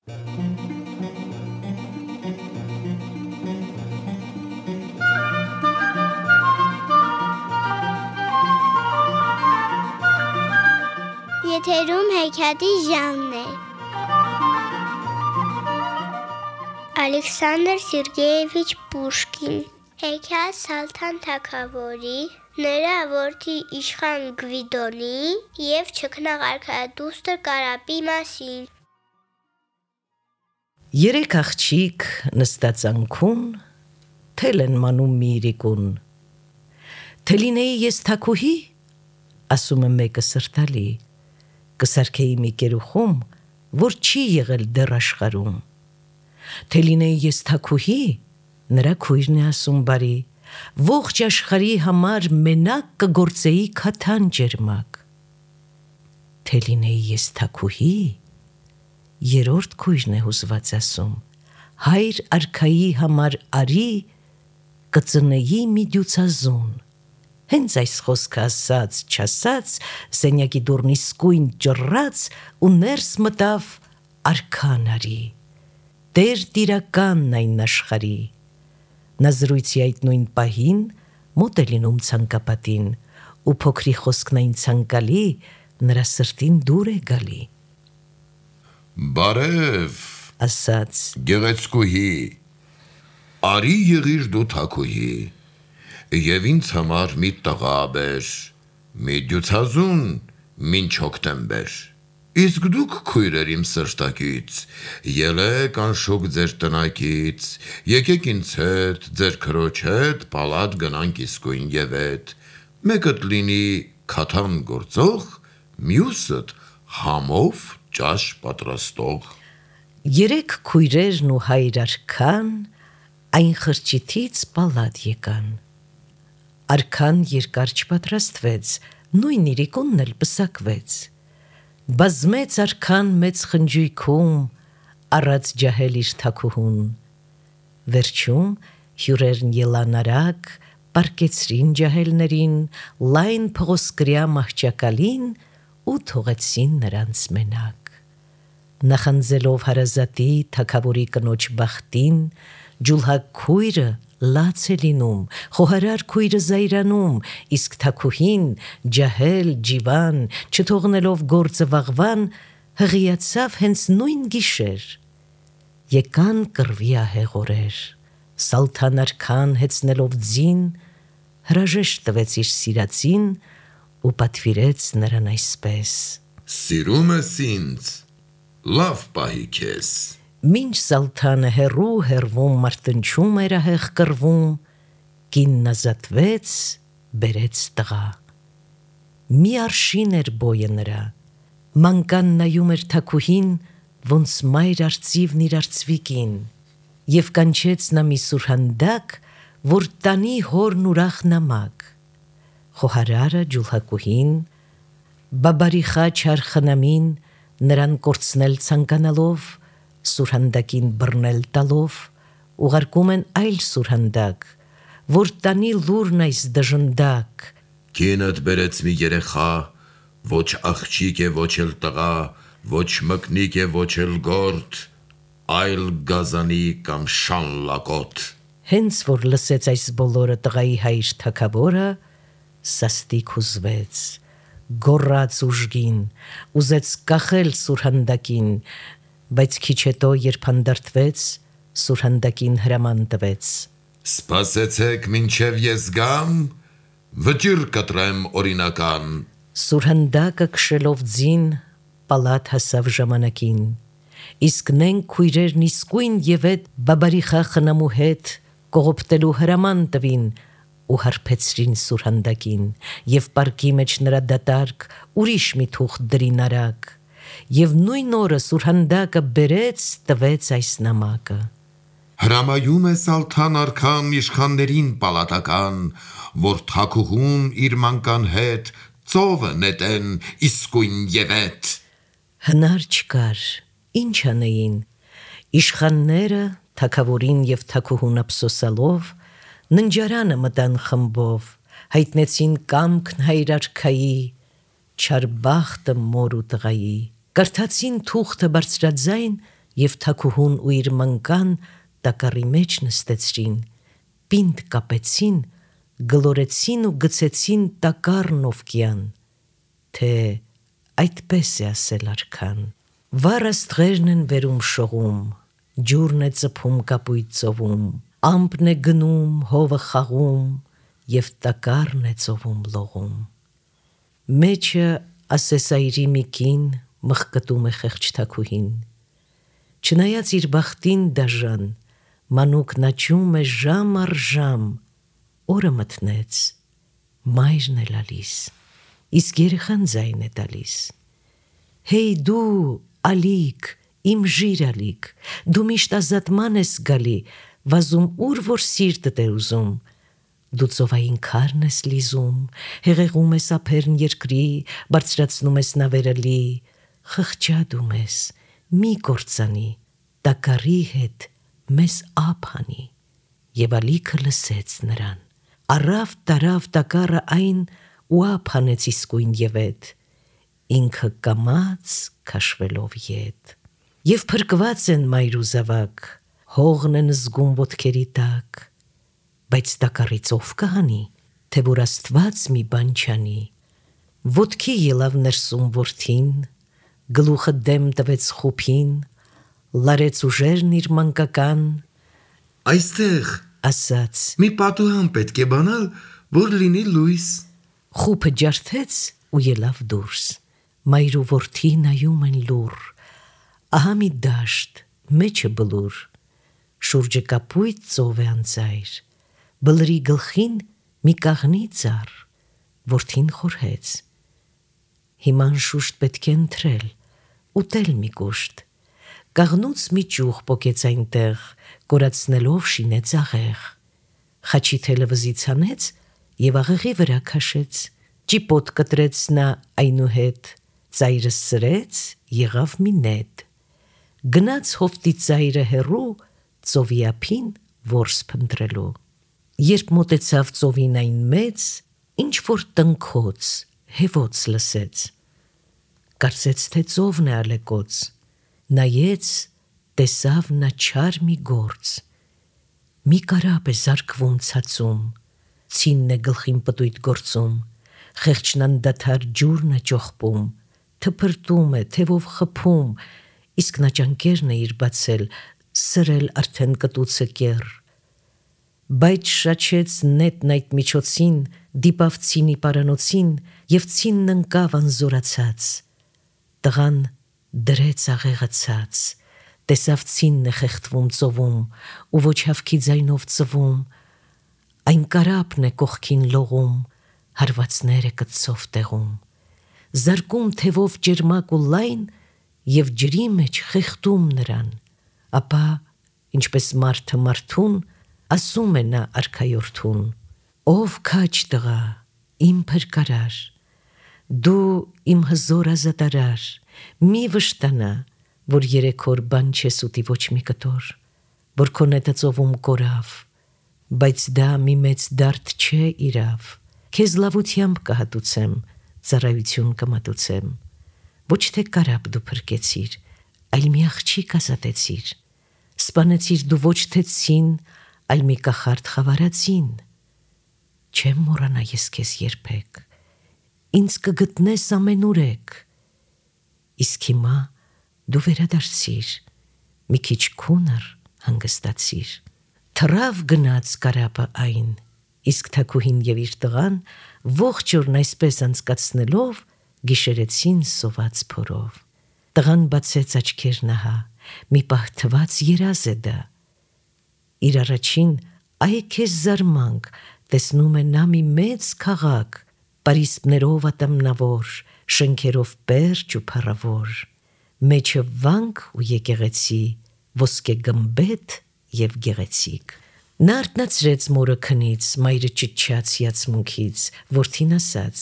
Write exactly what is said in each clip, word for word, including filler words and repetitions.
Եթերում հեքիաթի ժամն է։ Ալեքսանդր Սերգեևիչ Պուշկին։ Հեքիաթ Սալթան թագավորի, նրա որդի իշխան Գվիդոնի և չքնաղ արքայադուստր Կարապի մասին։ Երեք աղջիկ նստած անքուն, թել են մանում մի իրիկուն։ Թե լինեի ես թագուհի, ասում է մեկը սրտալի, կսարքեի մի կերուխում, որ չի եղել դեռ աշխարհում։ Թե լինեի ես թագուհի, նրա քույրն է ասում բարի, ողջ աշխարհի համար մենակ կգործեի քաթան ջերմակ։ Թե լինեի ես թագուհի, երրորդ քույրն է հուզված ասում, հայր արքայի համար արի, կծնեի մի դյուցազուն։ Հենց այս խոսքը ասաց, չասաց, սենյակի դուռն իսկույն ճռռաց ու ներս մտավ արքան արի, տեր տիրականն այն աշխարհի։ Նա զրույցի այդ նույն պահին մոտ է լինում ցանկապատին, ու փոքրի խոսքն այն ցանկալի նրա սրտին դուր է գալի։ Բարև, ասաց գեղեցկուհի, արի եղիր դու թագուհի, և ինձ համար մի տղա բեր, մի դյուցազուն մինչ հոկտեմբեր։ Իսկ դուք քույրեր իմ սրտակից, ելեք անշուք ձեր տնակից, եկեք ինձ հետ, ձեր քրոջ հետ, պալատ գնանք իսկույն և էդ, մեկդ լինի քաթան գործող, մյուսդ համով ճաշ պատրաստող։ Երեք քույրերն ու հայր արքան այն խրճիթից պալատ եկան։ Արքան երկար չպատրաստվեց, նույն իրիկունն էլ պսակվեց։ Բազմեց արքան մեծ խնջույքում, առած ջահել իր թագուհուն։ Վերջում հյուրերն ելան արագ, պառկեցրին ջահելներին, լայն փղոսկրյա մահճակալին ու թողեցին նրանց մենակ։ Նախանձելով հարազատի թագավորի կնոջ բախտին, ջուլհակ քույրը լաց է լինում, խոհարար քույրը զայրանում, իսկ թագուհին, ջահել, ջիվան, չթողնելով գործը վաղվան, հղիացավ հենց նույն գիշեր։ Եկան կռվի ահեղ օրեր, Սալթան արքան հեծնելով ձին, հրաժեշտ տվեց իր սիրածին ու պատվիրեց նրան այսպես. Սիրում ես ինձ, լավ պահի քեզ։ Մինչ Սալթանը հեռու հեռվում մարտնչում էր ահեղ կռվում, կինն ազատվեց, բերեց տղա։ Մի արշին էր բոյը նրա, մանկան նայում էր թագուհին, ոնց մայր արծիվն իր արծվիկին, և կանչեց նա մի սուրհանդակ, որ տանի հորն ուրախ նամակ։ Խոհարարը ջուլհակուհին, բաբարիխա չար խնամին, նրան կորցնել ցանկանալով, սուրհանդակին բռնել տալով, ուղարկում են այլ սուրհանդակ, որ տանի լուրն այս դժնդակ։ Կինդ բերեց մի երեխա, ոչ աղջիկ է, ոչ էլ տղա, ոչ մկնիկ է, ոչ էլ գործ, այլ գազանի կամ շան լակոտ։ Հենց որ լսեց այս բոլորը տղայի հայր թագավորը, սաստիկ հուզվեց, գոռաց ուժգին, ուզեց կախել սուրհանդակին, բայց քիչ հետո, երբ հանդարտվեց, սուրհանդակին հրաման տվեց. Սպասեցեք մինչև ես գամ, վճիռ կտրեմ օրինական։ Սուրհանդակը քշելով ձին, պալատ հասավ ժամանակին, իսկ նենք քույրերն իսկույն և էդ բաբարիխա խնամու հետ կողոպտելու հրաման տվին ու հարբեցրին սուրհանդակին, և պարկի մեջ նրա դատարկ ուրիշ մի թուղթ դրին արագ, և նույն օրը սուրհանդակը բերեց, տվեց այս նամակը. Հրամայում է Սալթան արքան իշխաններին պալատական, որ թագուհուն իր մանկան հետ ծովը նետեն իսկույն և էդ։ Հնար չկար, ինչ անեին, իշխանները թագավորին և թագուհուն ափսոսալով, ննջարանը մտան խմբով, հայտնեցին կամքն հայր արքայի, չար բախտը մոր ու տղայի, կարդացին թուղթը բարձրաձայն, եւ թակուհուն ու իր մանկան տակառի մեջ նստեցրին, պինդ կապեցին, գլորեցին ու գցեցին տակառն ովկյան, թե այդպես է ասել արքան։ Վառ աստղերն են վերում շողում, ջուրն է ծփում կապույտ ծովում, ամպն է գնում, հովը խաղում, եւ տակառն է ծովում լողում։ Մեջը ասեսայրի մի կին մխկտում է խեղճ թակուհին, չնայած իր բախտին դաժան, մանուկն աճում է ժամ առ ժամ, օրը մտնեց, մայրն է լալիս, իսկ երեխան ձայն է տալիս։ Հեյ դու, ալիք, իմ ժիր ալիք, դու միշտ ազատման ես գալի, վազում ուր որ սիրտդ է ուզում, դու ծովային քարն ես լիզում, հեղեղում ես ափերն երկրի, բարձրացնում ես նավերը լի, խղճադում ես, մի կործանի, տակառի հետ մեզ ափ հանի։ Եվ ալիքը լսեց նրան, առավ տարավ տակառը այն ու ափ հանեց իսկույն եւ էդ, ինքը կամաց քաշվելով ետ։ Եվ փրկված են մայր ու զավակ, հողն են զգում ոտքերի տակ, բայց տակառից ով կհանի, թե որ Աստված մի բան չանի։ Ոտքի ելավ ներսում որդին, գլուխը դեմ տվեց խուփին, լարեց ուժերն իր մանկական, այստեղ ասաց, մի պատուհան պետք է բանալ, որ լինի լույս։ խուփը ջարդեց ու ելավ դուրս, մայր ու որդի նայում են լուռ, ահա մի դաշտ, մեջը բլուր, շուրջը կապույտ ծով է անծայր, բլրի գլխին մի կաղնի ծառ, որդին խորհեց, հիման շուշտ պետք է ընտրել, ուտել մի կուշտ, կաղնուց մի ճյուղ պոկեց այնտեղ, կորացնելով շինեց աղեղ, խաչի թելը վզից հանեց եւ աղեղի վրա քաշեց, ճիպոտ կտրեց նա այնուհետ, ծայրը սրեց, եղավ մի նետ, գնաց հովտի ծայրը հեռու, ծովի ափին որս փնտրելու, երբ մոտեցավ ծովին այն մեծ, ինչ որ տնքոց, հևոց լսեց, կարծեց թե ծովն է ալեկոծ, նայեց, տեսավ նա չար մի գործ, մի կարապ է զարկվում ցածում, ցինն է գլխին պտույտ գործում, խեղճն անդադար ջուրն է ճոխպում, թփրտում է, թևով խփում, իսկ նա ճանկերն է իր բացել, սրել արդեն կտուցը կեռ, բայց շաչեց նետն այդ միջոցին, դիպավ ցինի պարանոցին եւ ցինն ընկավ անզորացած, տղան դրեց աղեղը ցած, տեսավ ցինն է խեղդվում ծովում ու ոչ հավքի ձայնով ծվում, այն կարապն է կողքին լողում, հարվածները կծով տեղում, զարկում թևով ջերմակ ու լայն եւ ջրի մեջ խեղդում նրան, ապա ինչպես մարդը մարդուն, ասում է նա արքայորդուն, ով քաչ տղա, իմ փրկարար, դու իմ հզոր ազատարար, մի վշտանա, որ երեք օր բան չես ուտի ոչ մի կտոր, որ քո նետը ծովում կորավ, բայց դա մի մեծ դարդ չէ իրավ, քեզ լավությամբ կհատուցեմ, ծառայություն կմատուցեմ, ոչ թե կարապ դու փրկեցիր, այլ մի աղջիկ ազատեցիր, սպանեցիր դու ոչ թե ցին, այլ մի կախարդ խավարածին, չեմ մոռանա ես քեզ երբեք, ինձ կգտնես ամենուրեք, իսկ հիմա դու վերադարձիր, մի քիչ քունր հանգստացիր, թռավ գնաց կարապը այն, իսկ թակուհին եւ իր տղան ողջ օրն այսպես անցկացնելով գիշերեցին սոված փորով, տղան բացեց աչքերն ահա, մի պահ թված երազ է դա, իր առաջին այ քեզ զարմանք, տեսնում է նա մի մեծ քաղաք, պարիսպներով ատամնավոր, շենքերով պերճ ու փառավոր, մեջը վանք ու եկեղեցի, ոսկե գմբեթ եւ գեղեցիկ։ Նա արթնացրեց մորը քնից, մայրը ճչաց հիացմունքից, որդին ասաց.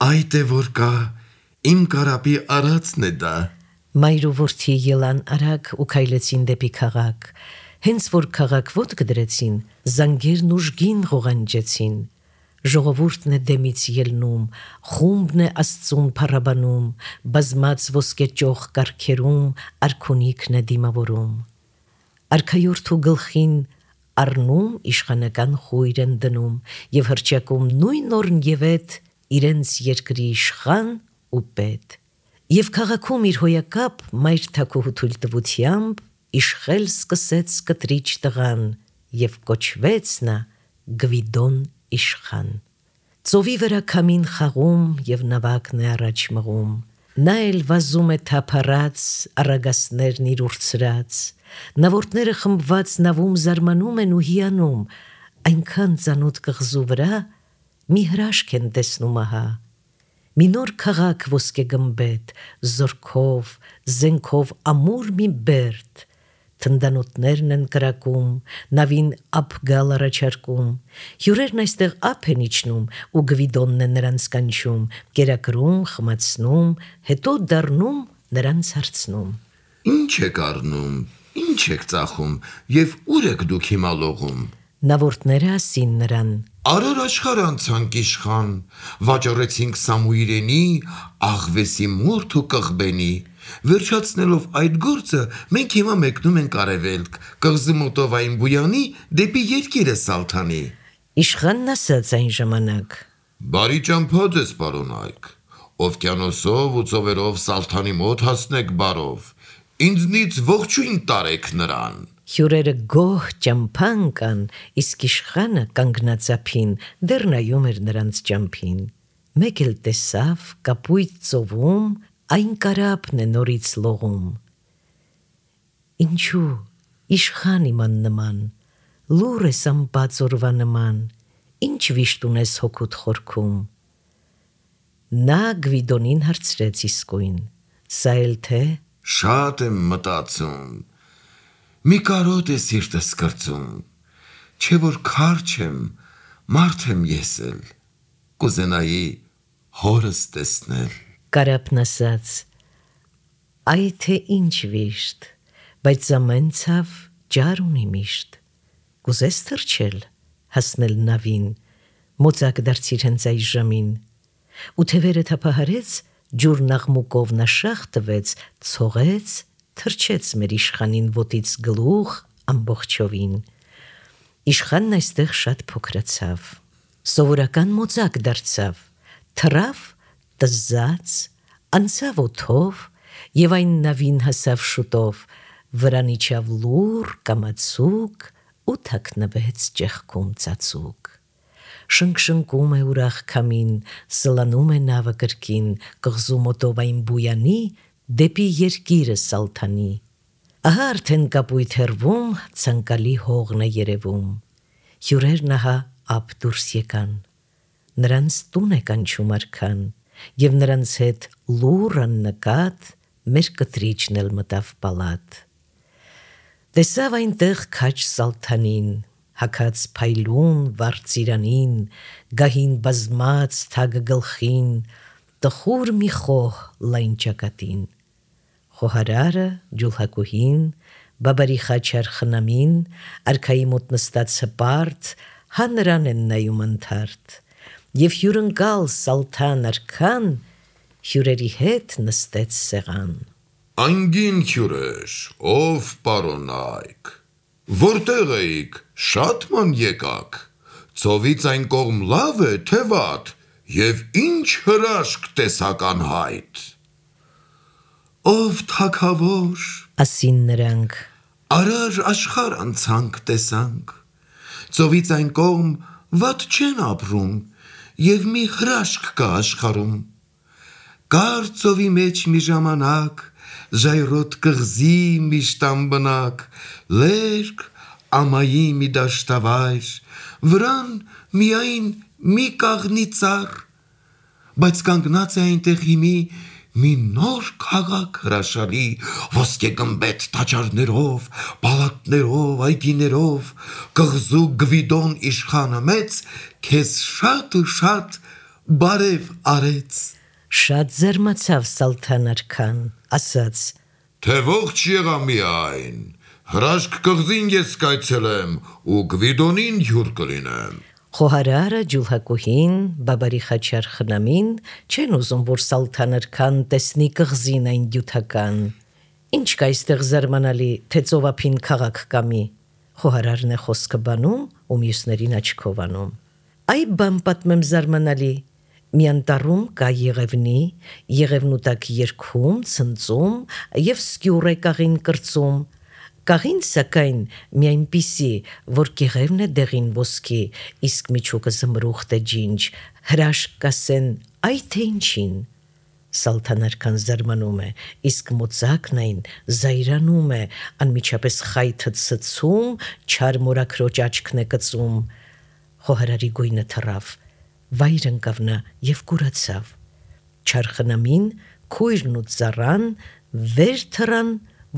Այդ է որ կա, իմ կարապի արածն է դա։ Մայր ու որդի ելան արագ ու քայլեցին դեպի քաղաք, հենց որ քաղաք ոտք դրեցին, զանգերն ուժգին ղողանջեցին, Ժողովուրդն է դեմից ելնում, խումբն է Աստծուն փառաբանում, բազմած ոսկե ճոխ կառքերում արքունիքն է դիմավորում։ Արքայորդու գլխին առնում իշխանական խույր են դնում եւ հրճակում նույն օրն եւ այդ իրենց երկրի իշխան ու պետ։ Եվ քաղաքում իր հոյակապ մայր թագուհու թույլտվությամբ իշխել սկսեց կտրիչ տղան եւ կոչվեց նա Գվիդոն իշխան։ Ծովի վրա քամին խաղում եւ նավակն է առաջ մղում։ Նա էլ վազում է թափառած, առագասներն իր ուրցրած, նավորդները խմբված նավում զարմանում են ու հիանում, այնքան ծանոթ կղզու վրա մի հրաշք են տեսնում ահա։ Մի նոր քաղաք ոսկե գմբեթ, զորքով, զենքով ամուր մի բերդ, թնդանոթներն են կրակում, նավին ափ գալ առաջարկում, հյուրերն այստեղ ափ են իջնում ու Գվիդոնն է նրանց կանչում, կերակրում, խմացնում, հետո դառնում նրանց հարցնում. Ինչ եք առնում, ինչ եք ծախում եւ ուր եք դուք հիմա լողում։ Նավորդները ասին նրան. Արար աշխարհ անցանք իշխան, վաճառեցինք Սամուիրենի, Աղվեսի մորթ ու Կղբենի։ Վերջացնելով այդ գործը, մենք հիմա մեկնում ենք արևելք, կղզի մոտով այն Բույանի դեպի երկիրը Սալթանի։ Իշխանն ասաց այն ժամանակ. Բարի ճամփա ձեզ, պարոն Այք, օվկիանոսով ու ծովերով Սալթանի մոտ հասնեք բարով, ինձնից ողջույն տարեք նրան։ Հյուրերը գոհ ճամփան կան, իսկ իշխանը կանգնած ափին դեռ նայում էր նրանց ճամփին։ Մեկ էլ տեսավ կապույտ ծովում այն կարապն է նորից լողում։ Ինչու իշխան իման նման, լուր ես ամպած օրվա նման, ինչ վիշտ ունես հոգուտ խորքում։ Նա Գվիդոնին հարցրեց իսկույն, սա էլ թե. Շատ եմ մտածում, մի կարոտ է սիրտս կրծում, չէ որ քարջ եմ, մարդ եմ ես էլ, կուզենայի հորս տեսնել։ Կարապն ասաց. այ թե ինչ վիշտ, բայց ամեն ցավ ջար ունի միշտ, կուզես թռչել, հասնել նավին, մոծակ դարձիր հենց այս ժամին, ու թևերը թափահարեց, ջուրն աղմուկով նա շաղ տվեց, ցողեց, թռչեց մեր իշխանին ոտից գլուխ ամբողջովին։ Իշխանն այստեղ շատ փոքրացավ, սովորական մոծակ դարձավ, թռավ, տզած, անցավ օդով եւ այն նավին հասավ շուտով, վրան իջավ լուռ կամացուկ ու թաքնվեց ճեղքում ծածուկ։ Շնկշնկում է ուրախ քամին, սլանում է նավը կրկին, կղզու մոտով այն Բույանի դեպի երկիրը Սալթանի։ Ահա արդեն կապույտ հեռվում ցանկալի հողն է երևում։ Հյուրերն ահա ափ դուրս եկան, նրանց տուն է կանչում արքան, եւ նրանց հետ լուռ աննկատ մեր կտրիչն էլ մտավ պալատ։ Տեսավ այնտեղ քաջ Սալթանին, հագած փայլուն վարդծիրանին, գահին բազմած թագը գլխին, տխուր մի խոհ լայն ճակատին, խոհարարը, ջուլհակուհին, բաբարի խաչար խնամին, արքայի մոտ նստած հպարտ, հա նրան են նայում ընդհարթ, եւ հյուրընկալ Սալթան արքան հյուրերի հետ նստեց սեղան։ Անգին հյուրեր, ով պարոն Այք, որտեղ էիք, շատ ման եկաք, ծովից այն կողմ լավ է, թե վատ, եւ ինչ հրաշք տեսական հայտ։ Ով թագավոր, ասին նրանք, արար աշխարհ անցանք տեսանք, ծովից այն կողմ վատ չեն ապրում, եւ մի հրաշք կա աշխարհում։ Կար ծովի մեջ մի ժամանակ, ժայռոտ կղզի մի շտամ բնակ, լերկ ամայի մի դաշտավայր, վրան միայն մի կաղնի ծառ, բայց կանգնած է այնտեղ հիմի մի նոր քաղաք հրաշալի, ոսկե գմբեթ տաճարներով, պալատներով, այգիներով, կղզու Գվիդոն իշխանը մեծ քեզ շատ ու շատ բարև արեց։ Շատ զարմացավ Սալթան արքան, ասաց. Թե ողջ եղա միայն, հրաշք կղզին ես կայցելեմ ու Գվիդոնին հյուր կլինեմ։ Խոհարարը, ջուլհակուհին, բաբարի խաչար խնամին չեն ուզում, որ Սալթանարքան տեսնի կղզին այն դյութական։ Ինչ կա այստեղ զարմանալի, թե ծովափին քաղաք կամի։ Խոհարարն է խոսքը բանում ու մյուսներին աչքով անում։ Այ բան պատմեմ զարմանալի։ Մի անտառում կա եղևնի, եղևնու տակ երգում, ցնծում եւ սկյուռ է կաղին կրծում։ Կաղին սակայն մի այնպիսի, որ եղևն է դեղին ոսկի, իսկ միջուկը զմրուխտ է ջինջ, հրաշք կասեն, այ թե ինչին։ Սալթանարքան զարմանում է, իսկ մոծակն այն զայրանում է, անմիջապես խայթը ցցում, չար մորաքրոջ աչքն է կծում։ Խոհարարի գույնը թռավ, վայր ընկավ նա եւ կուրացավ։ Չարխնամին, քույրն ու ծառան վեր թռան,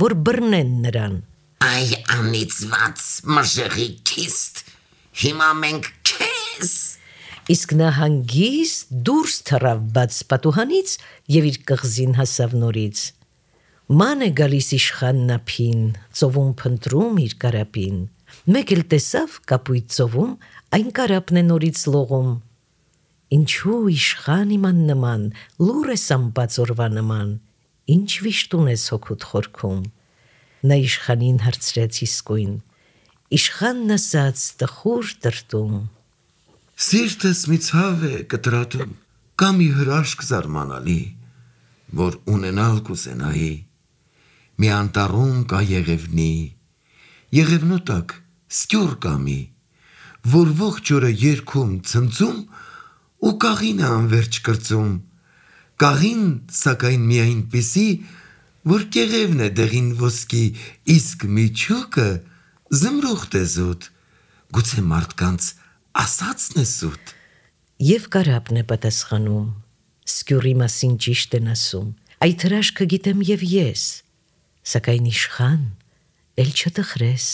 որ բռնեն նրան։ Այ անիծված մժեղի քիստ, հիմա մենք քեզ։ Իսկ նա հանգիստ դուրս թռավ բաց պատուհանից եւ իր կղզին հասավ նորից։ Ման է գալիս իշխանն ափին, ծովում փնտրում իր կարապին։ Մեկ էլ տեսավ կապույտ ծովում այն կարապն է նորից լողում։ Ինչու իշխան իման նման, լուր ես ամպած օրվա նման, ինչ վիշտ ունես հոգուտ խորքում։ Նա իշխանին հարցրեց իսկույն, իշխանն ասաց տխուր տրտում. Սիրտս մի ցավ է կտրատում, կա մի հրաշք զարմանալի, որ ունենալ կուզենայի։ Մի անտառում կա եղևնի, եղևնու տակ սկյուռ կամի, որ ողջ օրը երգում, ցնծում ու կաղին է անվերջ կրծում։ Կաղին սակայն մի այնպիսի, որ եղևն է դեղին ոսկի, իսկ միջուկը զմրուխտ է զուտ, գուցե մարդկանց ասածն է սուտ։ Եվ կարապն է պատասխանում, սկյուռի մասին ճիշտ են ասում, այդ հրաշքը գիտեմ եւ ես, սակայն իշխան, էլ չտխրես,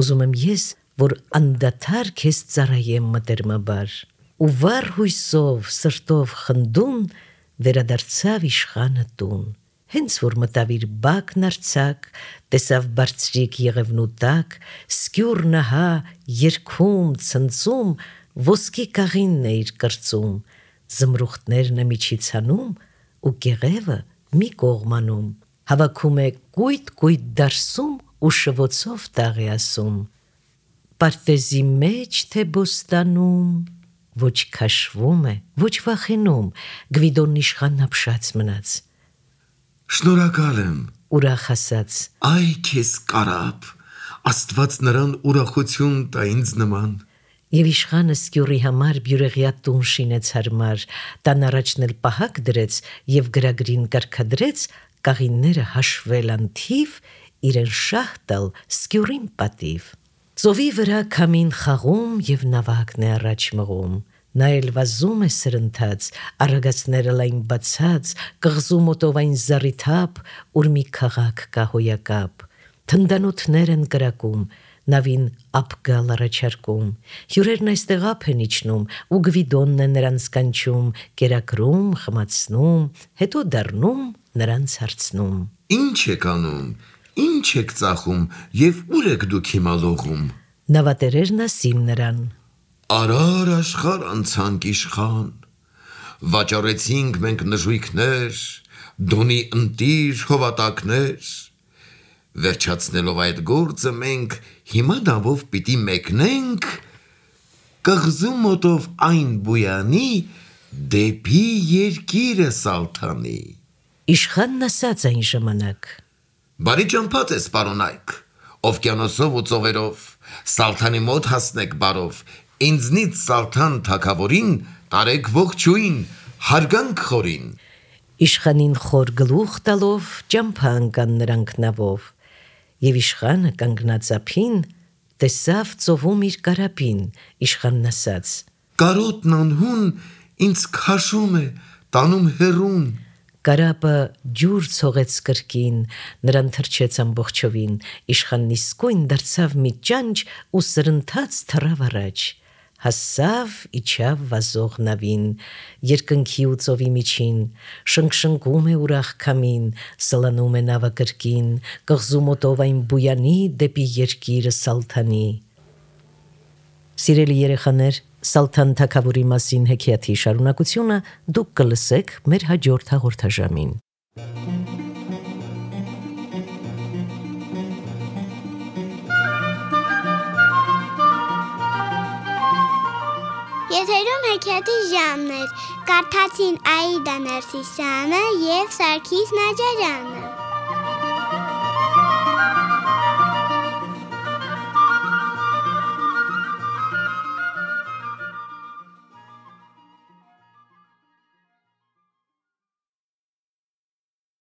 ուզում եմ ես, որ անդադար քեզ ծառայեմ մտերմաբար։ Ու վառ հույսով, սրտով խնդուն, վերադարձավ իշխանը տուն։ Հենց որ մտավ իր բակն արձակ, տեսավ բարձրիկ եղևնու տակ, սկյուռ նահա, երգում, ցնծում, ոսկի կաղինն է իր կրծում, զմրուխտներն է միջից հանում ու եղևը մի կողմանում, հավաքում է կույտ-կույտ դարսում ու շվոցով տաղ է ասում. Պարտեզի մեջ թե բոստանում, ոչ քաշվում է, ոչ վախենում, Գվիդոնն իշխանն ապշած մնաց։ Շնորհակալ եմ, ուրախ ասաց. այ քեզ կարապ, Աստված նրան ուրախություն տա ինձ նման։ Եվ իշխանը սկյուռի համար բյուրեղյա տուն շինեց հարմար, տան առաջն էլ պահակ դրեց եւ գրագրին կարգադրեց կաղինները հաշվել անթիվ, իրեն շահ տալ սկյուռին պատիվ։ Ծովի վրա քամին խաղում եւ նավակն է առաջ մղում։ Նա էլ վազում է սրընթաց, առագացները լայն բացած, կղզու մոտով այն զառիթափ, ուր մի քաղաք կա հոյակապ։ Թնդանոթներ են կրակում, նավին ափ գալ առաջարկում, հյուրերն այստեղ ափ են իջնում, ու Գվիդոնն է նրանց կանչում, կերակրում, խմացնում, հետո դառնում նրանց հարցնում. Ինչ եք անում, ինչ եք ծախում եւ ուր եք դուք հիմա լողում։ Նավատերերն ասին նրան. Արար աշխար անցանք իշխան, վաճառեցինք մենք նժույգներ, դոնի ընտիր հովատակներ, վերջացնելով այդ գործը մենք հիմա դավով պիտի մեկնենք կղզու մոտով այն բույանի դեպի երկիրը Սալթանի։ Իշխանն ասաց այն ժամանակ. Բարի ճամփած ես պարոնայք, օվկիանոսով ու ծովերով, Սալթանի մոտ հասնեք բարով, ինձնից Սալթան թագավորին տարեք ողջույն, հարգանք խորին։ Իշխանին խոր գլուխ տալով ճամփա ընկան նրանք նավով, եւ իշխանը կանգնած ափին տեսավ ծովում իր կարապին, իշխանն ասաց. Կարոտն անհուն ինձ քաշում է, տանում հեռուն։ Կարապը ջուր ցողեց կրկին, նրան թրջեց ամբողջովին, իշխանն իսկույն դարձավ մի ճանճ ու սրընթաց թռավ առաջ, հասավ իջավ վազող նավին, երկնքի ու ծովի միջին, շնկշնկում է ուրախ քամին, սլանում է նավը կրկին, կղզու մոտով այն բույանի դեպի երկիրը Սալթանի։ Սիրելի երեխաներ, Սալթան թագավորի մասին հեքիաթի շարունակությունը դուք կլսեք մեր հաջորդ հաղորդաժամին։ Եթերում հեքիաթի ժամն էր, կարդացին Աիդա Ներսիսյանը և Սարգիս Նաջարյանը։